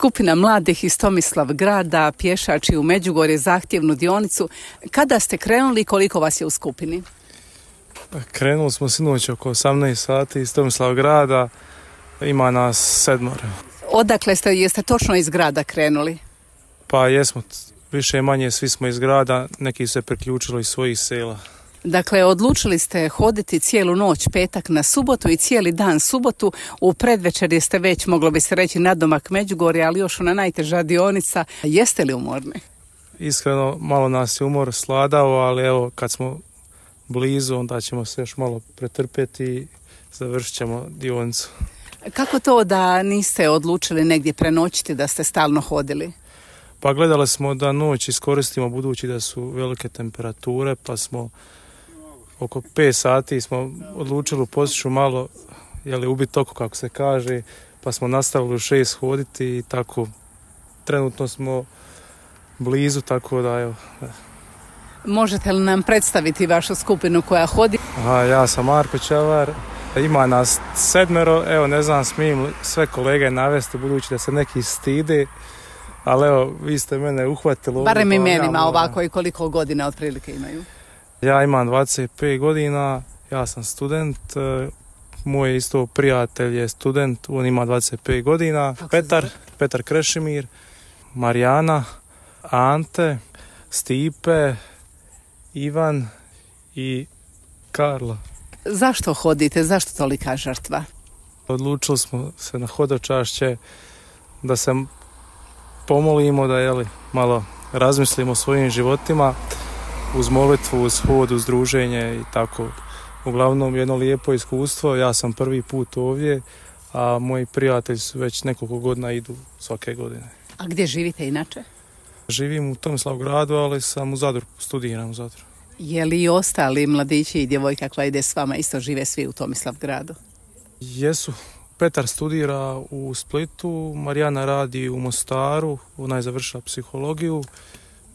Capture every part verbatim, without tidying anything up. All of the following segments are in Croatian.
Skupina mladih iz Tomislavgrada pješači u Međugorje zahtjevnu dionicu. Kada ste krenuli i koliko vas je u skupini? Krenuli smo sinoć oko osamnaest sati iz Tomislavgrada, ima nas sedmoro. Odakle ste, jeste točno iz grada krenuli? Pa jesmo, više manje svi smo iz grada, neki su se priključili iz svojih sela. Dakle, odlučili ste hoditi cijelu noć petak na subotu i cijeli dan subotu. U predvečer ste već, moglo bi se reći, nadomak Međugorja, ali još ona najteža dionica. Jeste li umorni? Iskreno, malo nas je umor sladao, ali evo, kad smo blizu, onda ćemo se još malo pretrpjeti i završit ćemo dionicu. Kako to da niste odlučili negdje prenoćiti, da ste stalno hodili? Pa gledali smo da noć iskoristimo budući da su velike temperature, pa smo oko pet sati smo odlučili u Posušju malo, jeli, ubiti oko kako se kaže, pa smo nastavili u šest hoditi i tako trenutno smo blizu, tako da evo. Možete li nam predstaviti vašu skupinu koja hodi? Aha, ja sam Marko Čavar, ima nas sedmero, evo ne znam smijem sve kolege navesti budući da se neki stide, ali evo vi ste mene uhvatili. Barem imenima ja, ovako i koliko godina otprilike imaju? Ja imam dvadeset pet godina, ja sam student, moj isto prijatelj je student, on ima dvadeset pet godina, Petar, Petar Krešimir, Marijana, Ante, Stipe, Ivan i Karla. Zašto hodite? Zašto tolika žrtva? Odlučili smo se na hodočašće da se pomolimo, da jeli, malo razmislimo o svojim životima, uz molitvu, uz hod, uz druženje i tako. Uglavnom jedno lijepo iskustvo, ja sam prvi put ovdje, a moji prijatelji su već nekoliko godina idu svake godine. A gdje živite inače? Živim u Tomislavgradu, ali sam u Zadru, studiram u Zadru. Je li i ostali mladići i djevojka koja ide s vama isto žive svi u Tomislavgradu? Jesu. Petar studira u Splitu, Marijana radi u Mostaru, ona je završila psihologiju.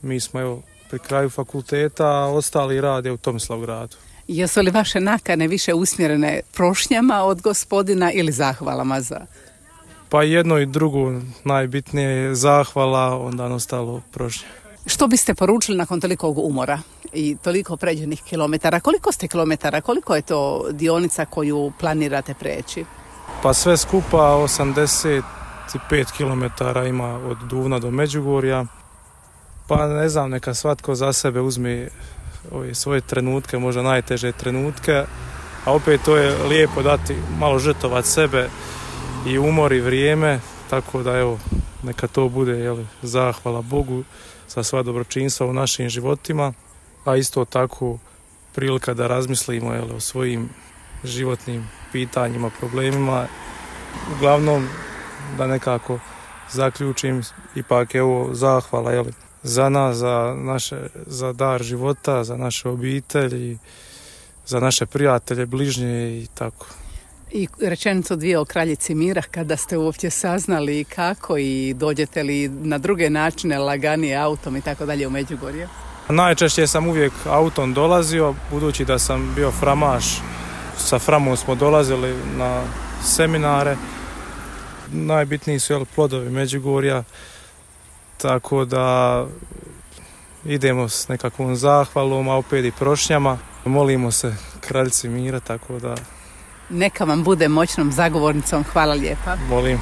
Mi smo evo pri kraju fakulteta, a ostali rade u Tomislavgradu. Jesu li vaše nakane više usmjerene prošnjama od gospodina ili zahvalama za? Pa jedno i drugo, najbitnije je zahvala, onda ostalo prošnje. Što biste poručili nakon tolikog umora i toliko pređenih kilometara? Koliko ste kilometara, koliko je to dionica koju planirate preći? Pa sve skupa osamdeset pet kilometara ima od Duvna do Međugorja. Pa ne znam, neka svatko za sebe uzme ove svoje trenutke, možda najteže trenutke, a opet to je lijepo dati malo žrtvovat sebe i umor i vrijeme, tako da evo, neka to bude, jeli, zahvala Bogu za sva dobročinstva u našim životima, a isto tako prilika da razmislimo, jeli, o svojim životnim pitanjima, problemima. Uglavnom, da nekako zaključim, ipak evo zahvala, jeli, za nas, za naše, za dar života, za naše obitelji, za naše prijatelje, bližnje i tako. I rečenicu dvije o kraljici mira, kada ste uopće saznali kako i dođete li na druge načine, laganije autom i tako dalje u Međugorje? Najčešće sam uvijek autom dolazio, budući da sam bio framaš. Sa Framom smo dolazili na seminare. Najbitniji su, jel, plodovi Međugorja, tako da idemo s nekakvom zahvalom, a opet i prošnjama. Molimo se kraljici mira, tako da... Neka vam bude moćnom zagovornicom. Hvala lijepa. Molim.